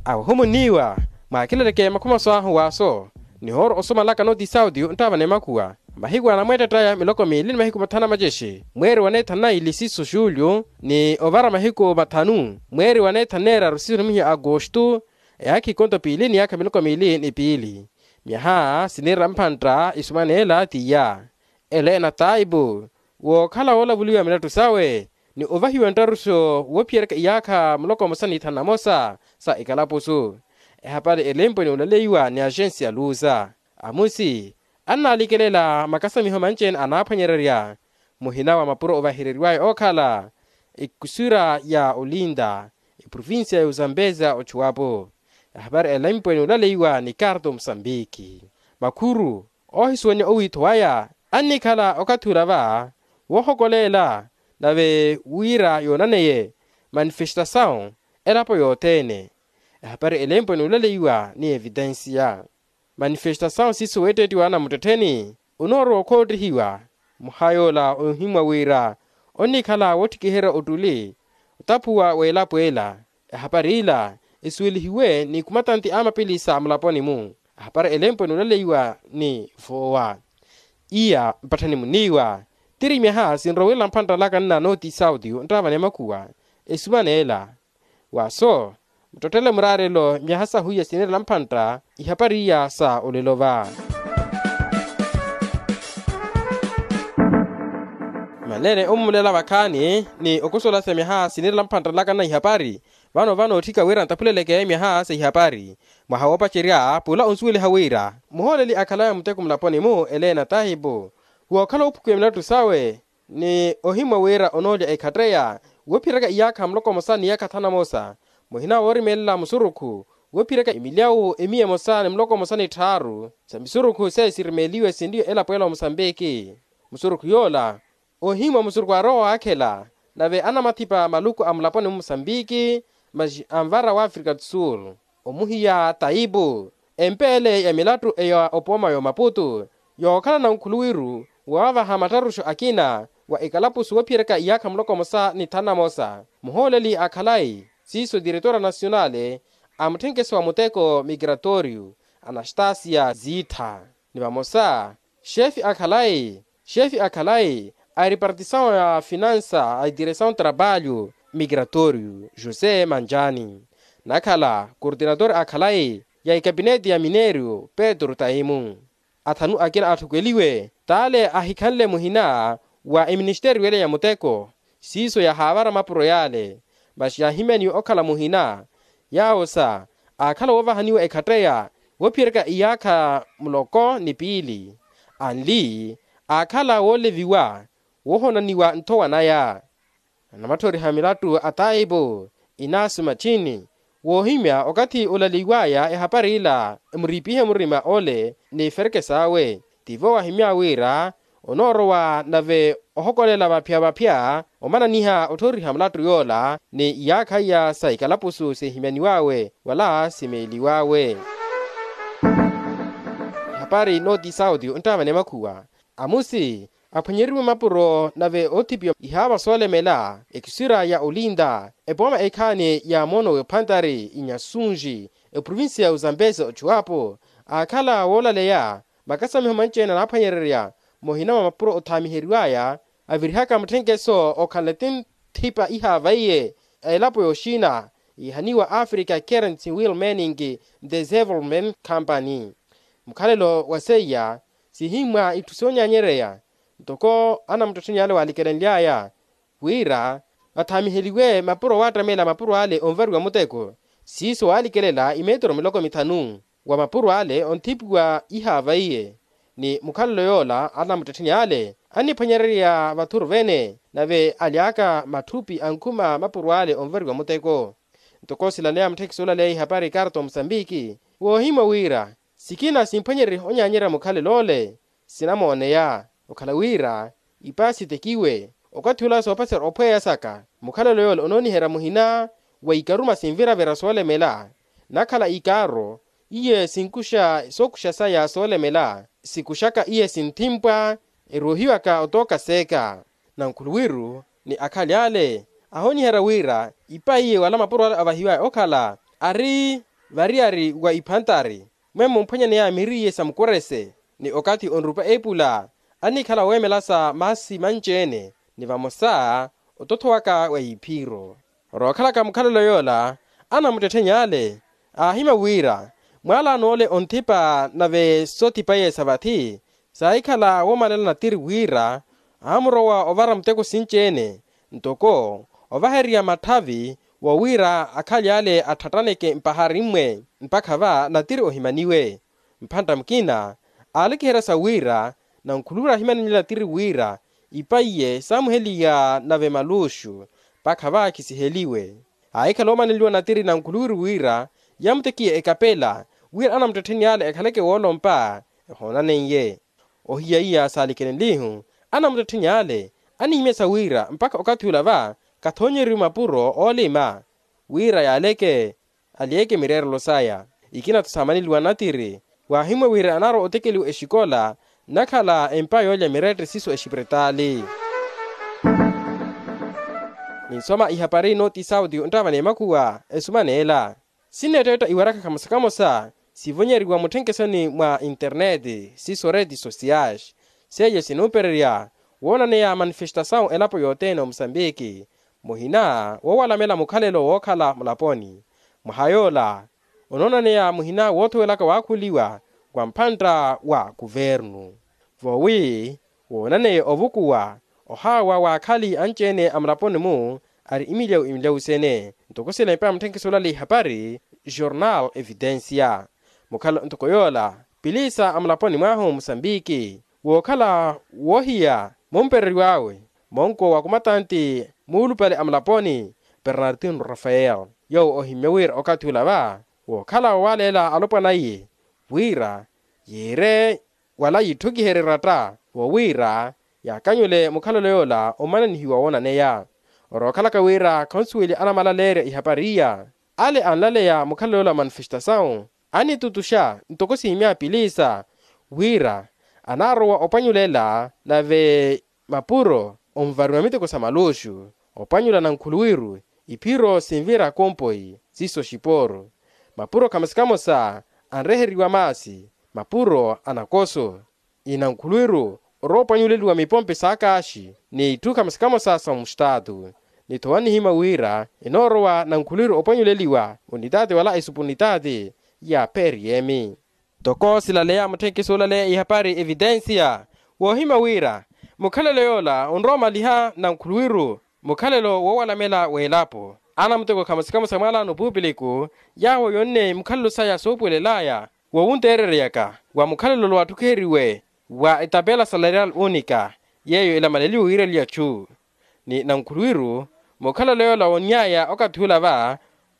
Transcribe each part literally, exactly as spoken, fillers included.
Awo ohumunniwa mwaakileleke makhumaso ahu waaso nihooro osomalaka noti sauti onttaavana emakhuwa mahiku anamweettattaya miloko miili ni mahiku mathanu na macexe mweeri wa neethanu na ili siiso xuulyu ni ovara mahiku mathanu mweeri wa neethanu neeraru siiso nimuhiya agosto eyaakha ikonto piili ni yaakha miloko miili ni piili. Myaha siniira mphantta isumaneela tiya ela enataipu wookhala woolavuliwa milattu sawe ni ovahiwa nttaruxo woophiyeryaka iyaakha muloko mmosa ni thanu na mosa sa ikalapusu. Ehapari elempwe ni olaleiwa ni axensi ya luza amusi annaalikelela makasamiho manci-ene anaaphwanyererya muhina wa mapuro ovahereriwaya ookhala ekusura ya olinda eprovincia ya uzambeza ochuwapo. Ehapari elempwe ni olaleiwa ni karto musambiki makhuru oohisuwanya owiitho waya annikhala okathi ula va woohokoleela nave wira yoonaneye manifestasawu elapo yothene. Ehapari elempwe ni olaleiwa ni evitensiya manifestasawu siiso weettettiwa anamuttettheni onoorowa okhoottihiwa muhayoola ohimmwa wira onnikhala woottikiherya ottuli otaphuwa w'elapo ela. Ehapari ila esuwelihiwe ni khumatanti a mapilisa mulaponi-mu. Ahapari elempwe ni olaleiwa ni voowa iya mpatthani muniiwa tiri myaha sinrowerela mphantta laka nna noti sauti onttaavana emakhuwa esumana ela. Waaso muttottele muraarelo myaha sahu iya siniirela mphantta ihapari iya sa olelo va. Manene ommumlela vakhaani ni okusola sa myaha siniirela mphantta laka nna ihapari vano vanootthika wira ntaphuleleke myaha sa ihapari mwaha woopacerya pula onsuweliha wira muhooleli akhalaya muteko mulaponi-mu eleena tahipu wookhala woophukiwa milattu sawe ni ohimmwa wira onoolya ekhatteya woophiyeryaka iyaakha muloko mmosa ni iyaakha thanu na mosa muhina woorimeelela musurukhu woophiyeryaka emilyawu emiya emosa ni muloko mmosa ni tthaaru sa misurukhu seiya sirimeeliwe sinriyo elapo ela omusambiki. Musurukhu yoola ohimmwa musurukhu aarowa waakhela nave anamathipa maluku a mulaponi mmusambiki masi anvara w'afrika do sul omuhiya taipu empeele ya milattu eya opooma ya omaputu yookhala nankhuluwiru waavaha mattaruxo akina wa ekalapusu woophiyeryaka iyaakha muloko mmosa ni thanu na mosa muhooleli a khalayi siiso diretora nasionale a mutthenkeso wa muteko migratoriu anastasia ziittha ni vamosa xefi a khalayi xefi a khalayi a ripartisawu ya finansa a diresawu trabalho migratoriu josé manjani nakhala kortinatori a khalayi ya ikapineti ya minerio petro taimu. Athanu akina atthukeliwe t'ale ahikhanle muhina wa eministeriyo ele ya muteko siiso yahaavara mapuro y'ale masi yaahimyaniwe okhala muhina yaawo sa aakhala woovahaniwa ekhatteya woophiyeryaka iyaakha muloko ni piili anli aakhala wooleviwa woohonaniwa nthowa naya. Anamatthoriha milattu a taipu inasu machini woohimya okathi olaleiwaya ehapari ila emuriipihe murima ole n'ifereke saawe tivo wahimya wira onoorowa nave ohokolela vaphya-vaphya omananiha otthoriha mulattu yoola ni iyaakha iya sa ikalapusu sihimyaniwawe wala simeeliwawe. Ehapari noti sauti onttaavana emakhuwa amusi aphwanyeriwe mapuro nave oothipiwa ihaava soolemela ekisira ya olinda epooma ekhaani ya moono w'ephantari inyasunji eprovinsiya ya uzambeza ochuwapo aakhala woolaleya makasamiho manci-ene anaaphwanyererya muhina mwa mapuro othaamiheriwaya avirihaka mutthenkeso okhanle ti nthipa ihaava iye a elapo y'oxina yiihaniwa africa currency will manning development company. Mukhalelo wa seiya sihimmwa itthu soonyanyereya ntoko anamuttettheni ale waalikelenly'aya wira athaamiheliwe mapuro waattamela mapuro ale onvariwa muteko siiso waalikelela imetero miloko mithanu wa mapuro ale onthipiwa ihaava iye ni mukhalelo yoola anamuttettheni ale anniphwanyererya vathuru vene nave aly'aka matthuphi ankhuma mapuro ale onvariwa muteko. Ntoko silaleya mutthekisi olaleya ihapari ikarto musambiki woohimwa wira sikina simphwanyereriha onyaanyerya mukhalelo ole sinamooneya okhala wira ipa sitekiwe okathi ula soopacerya ophweya saka mukhalelo yole onooniherya muhina wa ikaruma sinviravira soolemela nakhala ikaaro iye sinkuxa sookuxa saya soolemela sikuxaka iye sinthimpwa eroohiwaka otooka seeka. Nankhuluwiru ni akhali ale ahooniherya wira ipa iye wala mapuro ale avahiwaya okhala ari variyari wa iphantari, mwemmo mphwanyaneya miriye sa mukurese ni okathi onrupa epula, anikhala weemela sa maasi manci-ene ni vamosa otothowaka wa iphiro. Rookhalaka mukhalelo yoola, anamuttettheni ale aahimya wira mwaalano ole onthipa nave soothipa-ye sa vathi saahikhala woomalela natiri wira aamurowa ovara muteko sinci-ene, ntoko ovahererya matthavi wo wira akhali ale atthattaneke mpahari mmwe mpakha va natiri ohimaniwe. Mphantta mukina aalekiherya sa wira nankhuluwiri ahimanenle natiri wira ipa iye saamuheliya nave maluxu mpakha va khisiheliwe. Aahikhala oomaneliwa natiri nankhuluwiri wira yamutekiye ekapela wira anamuttettheni ale ekhaleke woolompa ehoonaneiye. Ohiya iya saalikenenlihu anamuttettheni ale anihimya sa wira mpakha okathi ula va kathoonyeriwe mapuro oolima wira yaaleke aliyeke mireerelo saya. Ikina-tho saamaneliwa natiri waahimwe wira anaarowa otekeliwa exikola nnakhala empa yoolya mirette siiso exipiritaali. Ninsoma ihapari nooti sauti onttava n'emakhuwa esuma n'ela. Sinneetteetta iwaraka kamosa kamosa sivonyeriwa mutthenkhesoni mwa interneti siiso retti sosiyais seiyo sinumpererya woonaneya manifestasawu elapo yothene omusambiki muhina wowalamela mukhalelo wookhala mulaponi. Mwaha yoola onoonaneya muhina woothowelaka waakhuliwa wa mphantta wa kuvernu voowi woonaneye ovukuwa ohaawa waakhali anci-ene a mulaponi-mu ari imilyawu imilyawu sene. Ntoko silempa mutthenkisi olale ihapari jornal evidencia mukhalo ntoko yoola pilisa a mulaponi mwahu musambiki wookhala woohiya mumpereriw'awe monko wa kumatanti muulupale a mulaponi bernardino rafael yoowo ohimmye wira okathi ula va wookhala wawaleela alopwana iye wira yiire wala yitthukiherye ratta wowiira yaakanyule mukhalelo yoola omananihiwa woonaneya. Orookhalaka wira khonsuweliya anamalaleerya ihapari iya ale anlaleya mukhalelo yoola manifestasawu anitutuxa ntoko siimya pilisa wira anaarowa opwanyulela nave mapuro onvariwa miteko sa maluxu opwanyula nankhuluwiru iphiro sinvira kompoyi siiso xipooru mapuro kamosa kamosa anreheriwa maasi mapuro a nakoso inankhuluwiru oroopwanyuleliwa mipompe saakaaxi n'itthu kamosa kamosa sa mustaatu. Nitho wanihimya wira enoorowa nankhuluwiru opwanyuleliwa unitaati wala esupu unitaati ya periyemi. Ntoko silaleya mutthenkisi olaleya ihapari evitensiya woohimya wira mukhalelo yoola onrowa omaliha nankhuluwiru mukhalelo woowalamela w'elapo anamuteko khamosa kamosa mwaalaano puupiliku yaawo yonne mukhalelo saya soopuwelel'aya wowunteereryaka wa mukhalelo lwatthukiheriwe wa etapela salarial unika yeeyo elamaleliwe wiireliya chu ni nankhuluwiru mukhalelo yoola wonny'aya okathi ula va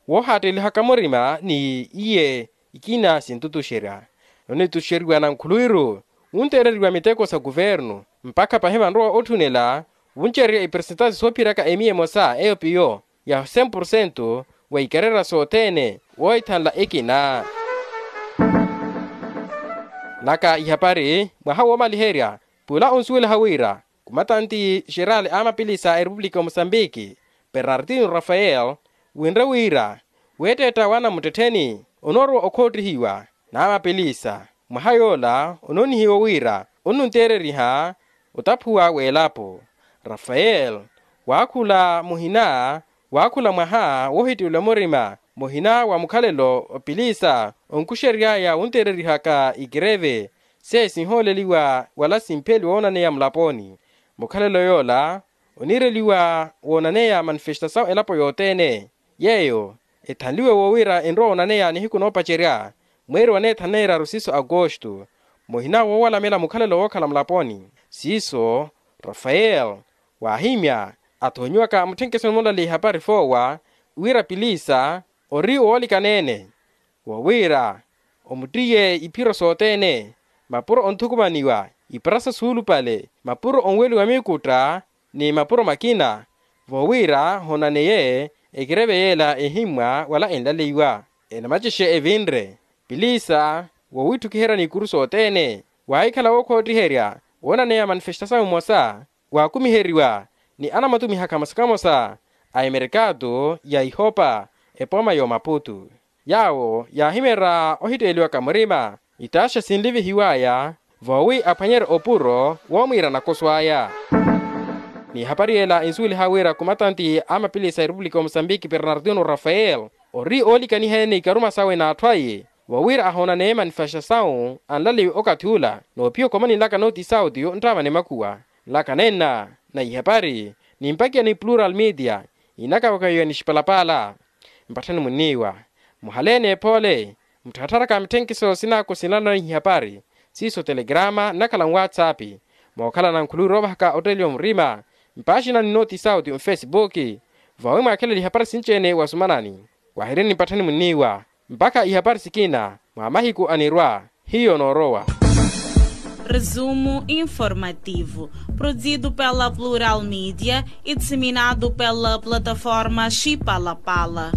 woohaattelihaka murima ni iye ikina sintutuxerya nonituxeriwa nankhuluwiru wunteereriwa miteko sa kuvernu mpakha pahi vanrowa otthunela wuncererya ipersentasi soophiraka emiya emosa eyo piyo ya cem porcento wa ikarera sothene woohithanla ekina naka ihapari mwaha woomaliherya pula onsuweliha wira kumatanti xerali a mapilisa a erepupulika ya mosambiki bernardino rafael winre wira weetteetta wa namuttettheni onoorowa okhoottihiwa n'amapilisa mwaha yoola onoonihiwa wira onnunteereriha otaphuwa w'elapo rafael waakhula muhina waakhula mwaha woohittiwela murima muhina wa mukhalelo opilisa onkuxery'aya wunteererihaka ikireve seiyo sinhooleliwa wala simpheliwa woonaneya mulaponi mukhalelo yoola oniireliwa woonaneya manifestasawu elapo yothene yeeyo ethanliwe woowira enrowa onaneya nihiku noopacerya mweeri wa neethaneeraru siiso akostu muhina woowalamela mukhalelo wookhala mulaponi siiso rafael waahimya athoonyiwaka mutthenkesoni mulale ihapari foowa wira pilisa ori owoolikaneene wowiira omuttiye iphiro sothene mapuro onthukumaniwa iparasa suulupale mapuro onweliwa mikutta ni mapuro makina vowiira honaneye ekireve yeela ehimmwa wala enlaleiwa enamacexe evinre pilisa wowiitthukiherya n'ikuru sothene waahikhala wookhoottiherya woonaneya manifestasawu mmosa waakumiheriwa ni anamatumihaka mmosa kamosa a emerekato ya ihopa epooma y'omaputu Yaawo yaahimeerya ohitteeliwaka murima itaaxa sinlivihiw'aya voowi aphwanyerye opuro woomwiira nakoso aya. N'ihapari ela ensuweliha wira kumatanti a mapilisi a erepupulika ya mosambiki bernardino rafael ori oolikaniha-ene ikaruma sawe n'atthu aye vowira ahoona neema nifaxa sawu anlaliwe okathi ula. Noopiwa okomani nlaka nooti sauti yo nttaamani makhuwa nlaka nenna na ihapari nimpakiya ni plural media inakawakawiwa ni xipalapaala. Mpatthani munniiwa muhaleene ephoole muttharattharaka mitthenkhiso sinaako sinlanana ihapari siiso telegrama nnakhala nwatsapi mookhala nankhuluwi roovahaka otteeliwa murima mpaaxina ni nooti sauti mfesipuki. Vawi mwaakhela ihapari sinci-ene wasumanani wahireni mpatthani munniiwa mpakha ihapari sikina mwa mahiku anirwa hiyo noorowa. Resumo informativo, produzido pela plural media e disseminado pela plataforma xipalapala.